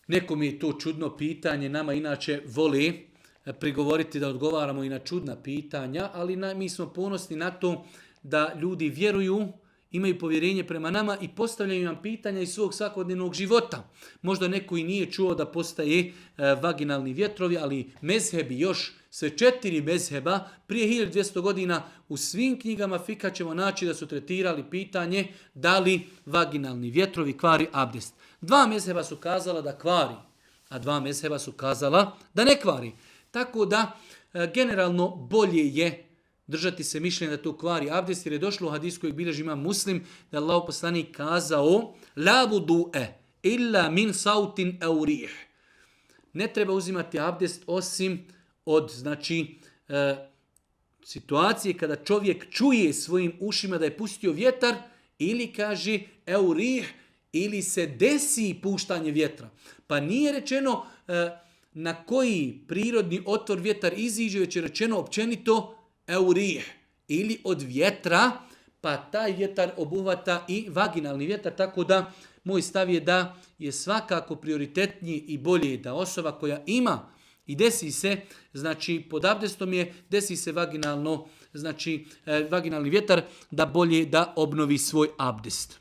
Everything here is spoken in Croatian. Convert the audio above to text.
Nekom je to čudno pitanje, nama inače voli prigovoriti da odgovaramo i na čudna pitanja, ali mi smo ponosni na to da ljudi vjeruju, imaju povjerenje prema nama i postavljaju nam pitanja iz svog svakodnevnog života. Možda neko i nije čuo da postaje vaginalni vjetrovi, ali mezhebi još, sve 4 mezheba, prije 1200 godina u svim knjigama fika ćemo naći da su tretirali pitanje da li vaginalni vjetrovi kvari abdest. 2 mezheba su kazala da kvari, a 2 mezheba su kazala da ne kvari. Tako da generalno bolje je držati se mišljenja da to kvari abdest, jer je došlo u hadisu kojeg bilježi Imam Muslim, da je Allahov poslanik kazao la vudu'e illa min sautin au rih. Ne treba uzimati abdest osim od situacije kada čovjek čuje svojim ušima da je pustio vjetar ili kaže au rih, ili se desi puštanje vjetra. Pa nije rečeno na koji prirodni otvor vjetar iziđe, već je rečeno općenito eurih ili od vjetra, pa taj vjetar obuhvata i vaginalni vjetar, tako da moj stav je da je svakako prioritetniji i bolje da osoba koja ima i desi se, pod abdestom je, desi se vaginalni vjetar, da bolje da obnovi svoj abdest.